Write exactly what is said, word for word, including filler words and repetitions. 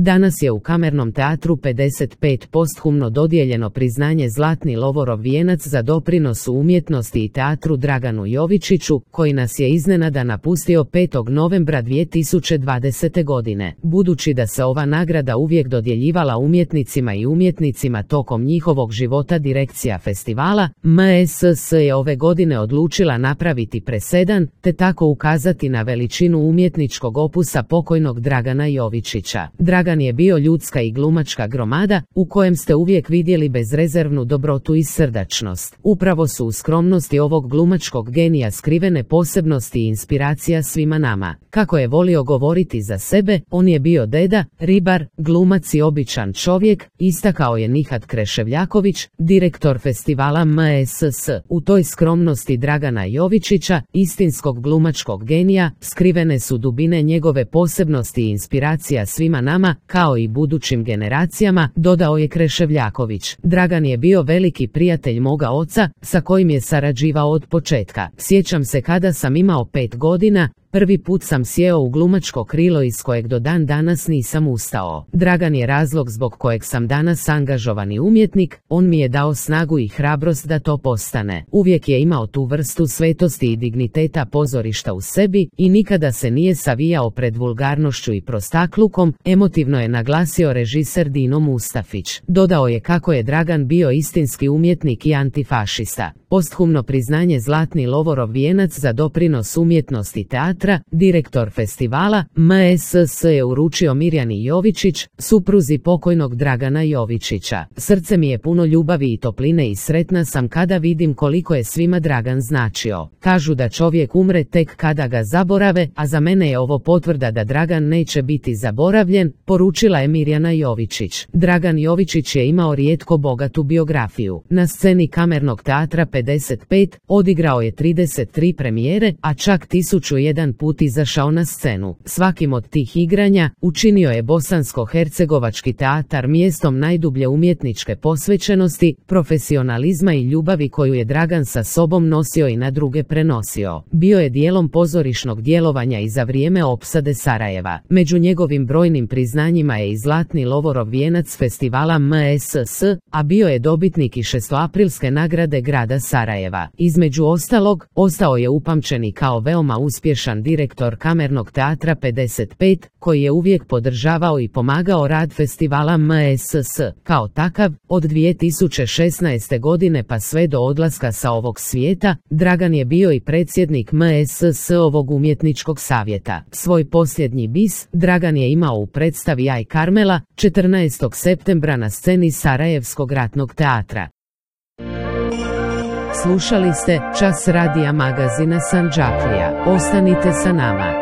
Danas je u Kamernom teatru pedeset pet posthumno dodijeljeno priznanje Zlatni Lovorov vijenac za doprinos u umjetnosti i teatru Draganu Jovičiću, koji nas je iznenada napustio petog novembra dvije tisuće dvadesete. godine. Budući da se ova nagrada uvijek dodjeljivala umjetnicima i umjetnicima tokom njihovog života, direkcija festivala M S S je ove godine odlučila napraviti presedan, te tako ukazati na veličinu umjetničkog opusa pokojnog Dragana Jovičića. Dragan je bio ljudska i glumačka gromada, u kojem ste uvijek vidjeli bezrezervnu dobrotu i srdačnost. Upravo su u skromnosti ovog glumačkog genija skrivene posebnosti i inspiracija svima nama. Kako je volio govoriti za sebe, on je bio deda, ribar, glumac i običan čovjek, istakao je Nihat Kreševljaković, direktor festivala M S S. U toj skromnosti Dragana Jovičića, istinskog glumačkog genija, skrivene su dubine njegove posebnosti i inspiracija svima nama, kao i budućim generacijama, dodao je Kreševljaković. Dragan je bio veliki prijatelj moga oca, sa kojim je sarađivao od početka. Sjećam se kada sam imao pet godina, prvi put sam sjeo u glumačko krilo iz kojeg do dan danas nisam ustao. Dragan je razlog zbog kojeg sam danas angažovani umjetnik, on mi je dao snagu i hrabrost da to postane. Uvijek je imao tu vrstu svetosti i digniteta pozorišta u sebi i nikada se nije savijao pred vulgarnošću i prostaklukom, emotivno je naglasio režiser Dino Mustafić. Dodao je kako je Dragan bio istinski umjetnik i antifašista. Posthumno priznanje Zlatni Lovorov vijenac za doprinos umjetnosti teatra, direktor festivala M S S je uručio Mirjani Jovičić, supruzi pokojnog Dragana Jovičića. Srce mi je puno ljubavi i topline i sretna sam kada vidim koliko je svima Dragan značio. Kažu da čovjek umre tek kada ga zaborave, a za mene je ovo potvrda da Dragan neće biti zaboravljen, poručila je Mirjana Jovičić. Dragan Jovičić je imao rijetko bogatu biografiju. Na sceni Kamernog teatra pedeset pet odigrao je trideset tri premijere, a čak tisuću jedan put izašao na scenu. Svakim od tih igranja učinio je bosansko-hercegovački teatar mjestom najdublje umjetničke posvećenosti, profesionalizma i ljubavi koju je Dragan sa sobom nosio i na druge prenosio. Bio je dijelom pozorišnog djelovanja i za vrijeme opsade Sarajeva. Među njegovim brojnim priznanjima je i Zlatni Lovorov vijenac festivala M S S, a bio je dobitnik i šestoaprilske nagrade grada Sarajeva. Između ostalog, ostao je upamćen i kao veoma uspješan direktor Kamernog teatra pedeset pet, koji je uvijek podržavao i pomagao rad festivala M S S. Kao takav, od dvije tisuće šesnaeste. godine pa sve do odlaska sa ovog svijeta, Dragan je bio i predsjednik M S S ovog umjetničkog savjeta. Svoj posljednji bis Dragan je imao u predstavi Aj Karmela, četrnaestog septembra na sceni Sarajevskog ratnog teatra. Slušali ste Čas radija magazina Sandžaklija. Ostanite sa nama.